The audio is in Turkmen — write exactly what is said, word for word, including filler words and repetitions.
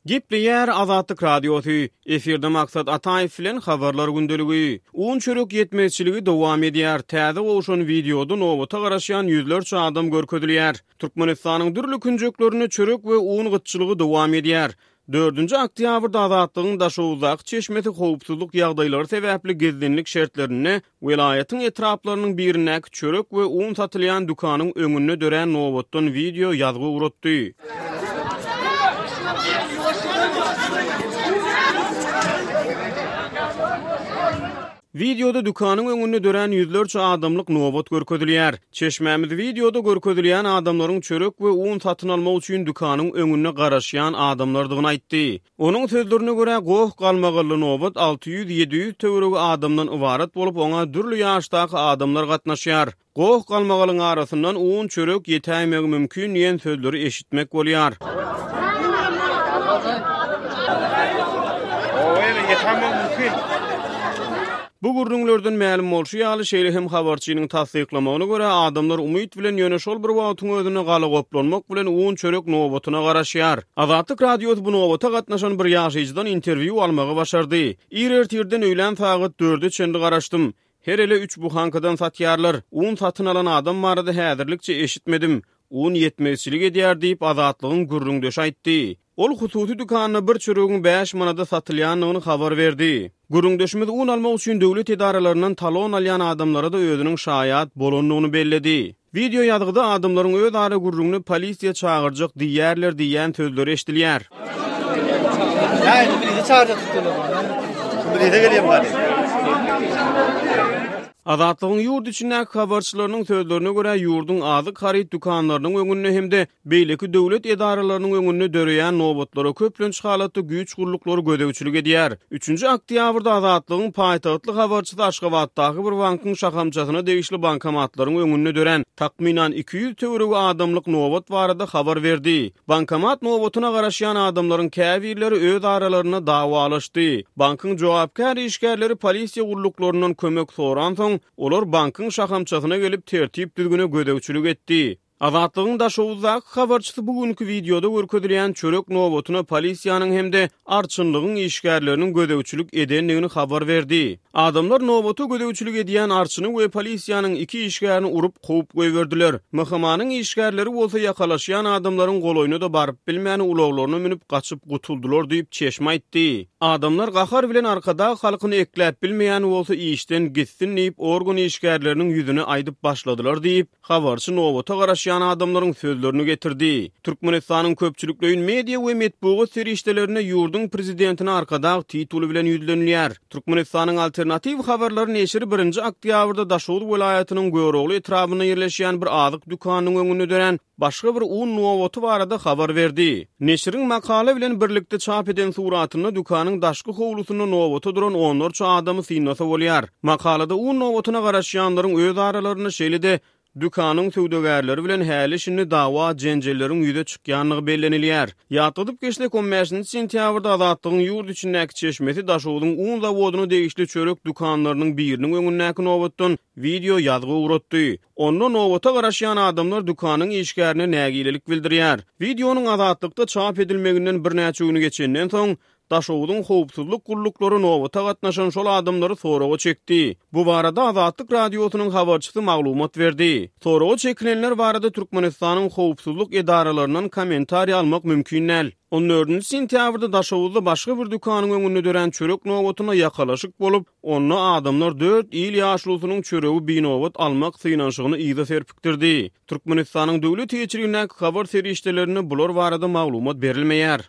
Gepleýär Azatlyk Radiosy, efirde Maksat Ataýew bilen Habarlar gündeligi. Un çörek ýetmezçiligi dowam edýär. Täze gowşan wideoda nobata garaşýan ýüzlerçe adam görkezilýär. Türkmenistanyň dürli künjeklerinde çörek we un gytçylygy dowam edýär. Dördünji oktýabrda Azatlygyň Daşoguzdaky çeşmesi howpsuzlyk ýagdaýlary sebäpli gizlinlik şertlerinde welaýatyň etraplarynyň birindäki çörek we un satylýan dükanyň öňünde dörän nobatdan wideo ýazgy ugratdy. Wideoda dükanyň öňünde dörän ýüzlerçe adamlyk nobat görkezilýär. Çeşmämiz wideoda görkezilýän adamlaryň çörek we un satyn almak üçin dükanyň öňünde garaşýan adamlardygyny aýtdy. Onuň sözlerine görä, goh-galmagally nobat alty ýüz-ýedi ýüz töweregi adamdan ybarat bolup, oňa dürli ýaşdaky adamlar gatnaşýar. Goh-galmagalyň arasyndan un, çörek ýetäýmegi mümkin diýen sözleri eşitmek bolýar. Bu gürrüňlerden mälim bolşy ýaly, şeýle hem habarçynyň tassyklamagyna görä, adamlar umyt bilen, ýöne şol bir wagtyň özünde galagoplanmak bilen un-çörek nobatyna garaşýar. Azatlyk Radiosy bu nobata gatnaşan bir ýaşaýjydan interwýu almagy başardy. Ir ertirden öýlän sagat dörde çenli garaşdym. Her ele üç buhankadan satýarlar. Un satyn alan adam barada häzirlikçe eşitmedim. Un ýetmezçilik edýär diýip, Azatlygyň gürrüňdeşi aýtdy. Ol hususy dükanda bir çöregiň bäş manada satylýandygyny habar berdi. Gürrüňdeşimiz un almak üçin döwlet edaralaryndan talon alýan adamlara-da özüniň şaýat bolandygyny belledi. Wideo ýazgyda adamlaryň özara gürrüňini polisiýa çagyrjak diýýärler diýýän sözleri eşidilýär. Azatlygyň ýurt içindäki habarçylarynyň sözlerine görä, ýurduň azyk haryt dükanlarynyň öňünde hem-de beýleki döwlet edaralarynyň öňünde döreýän nobatlara köplenç halatda güýç gulluklary gözegçilik edýär. Üçünji oktýabrda Azatlygyň paýtagtly habarçysy Aşgabatdaky bir bankyň şahamçasyna degişli bankomatlaryň öňünde dörän takmynan iki ýüz töweregi adamlyk nobat barada habar berdi. Bankomat nobatyna garaşýan adamlaryň käbirleri öz aralarynda dawalaşdy. Bankyň jogapkär işgärleri polisiýa gulluklaryndan kömek soransoň, olar bankyň şahamçasyna gelip tertip-düzgüne gözegçilik etdi. Azatlygyň Daşoguzdaky habarçysy bu günki wideoda görkezilýän çörek nobatyna polisiýanyň hem-de arçynlygyň işgärleriniň gözegçilik edendigini habar berdi. Adamlar nobata gözegçilik edýän arçyny we polisiýanyň iki işgärini urup, kowup goýberdiler. M H M-nyň işgärleri bolsa ýakalaşýan adamlaryň golaýyna-da baryp bilmän, ulaglaryna münüp gaçyp gutuldylar diýip, çeşme aýtdy. Adamlar gahar bilen Arkadag halkyny ekläp bilmeýän bolsa işden gitsin diýip, organ işgärleriniň ýüzüne aýdyp başladylar diýip, habarçy nobata garaşýan adamlaryň sözlerini getirdi. Türkmenistanyň köpçülikleýin media we metbugat serişdelerinde ýurduň prezidentine Arkadag tituly bilen ýüzlenilýär. Türkmenistanyň Alternatiw habarlary neşiri birinji oktýabrda Daşoguz welaýatynyň Görogly etrabynda ýerleşýän bir azyk dükanynyň öňünde dörän başga bir un nobaty barada habar berdi. Neşiriň makala bilen birlikde çap eden suratynda dükanyň daşky howlusynda nobata duran onlarça adamy synlasa bolýar. Makalada un nobatyna garaşýanlaryň öz aralarynda şeýle-de dükanyň söwdagärleri bilen häli-şindi dawa-jenjelleriň ýüze çykýandygy bellenilýär. Ýatladyp geçsek, on bäşinji sentýabrda Azatlygyň ýurt içindäki çeşmesi Daşogzuň un zawodyna degişli çörek dükanlarynyň biriniň öňündäki nobatdan wideo ýazgy ugratdy. Onda nobata garaşýan adamlar dükanyň işgärine nägilelik bildirýär. Wideonyň Azatlykda çap edilmeginden birnäçe gün geçenden soň, Daşogzuň howpsuzlyk gulluklary nobata gatnaşan şol adamlary soraga çekdi. Bu barada Azatlyk Radiosynyň habarçysy maglumat berdi. Soraga çekilenler barada Türkmenistanyň howpsuzlyk edaralaryndan kommentariý almak mümkin däl. On dördünji sentýabrda Daşoguzda başga bir dükanyň öňünde dörän çörek nobatyna ýakalaşyk bolup, onda adamlar dört il ýaşulusynyň çöregi binobat almak synanyşygyny yza serpikdirdi. Türkmenistanyň döwlet eýeçiligindäki habar serişdelerinde bular barada maglumat berilmeýär.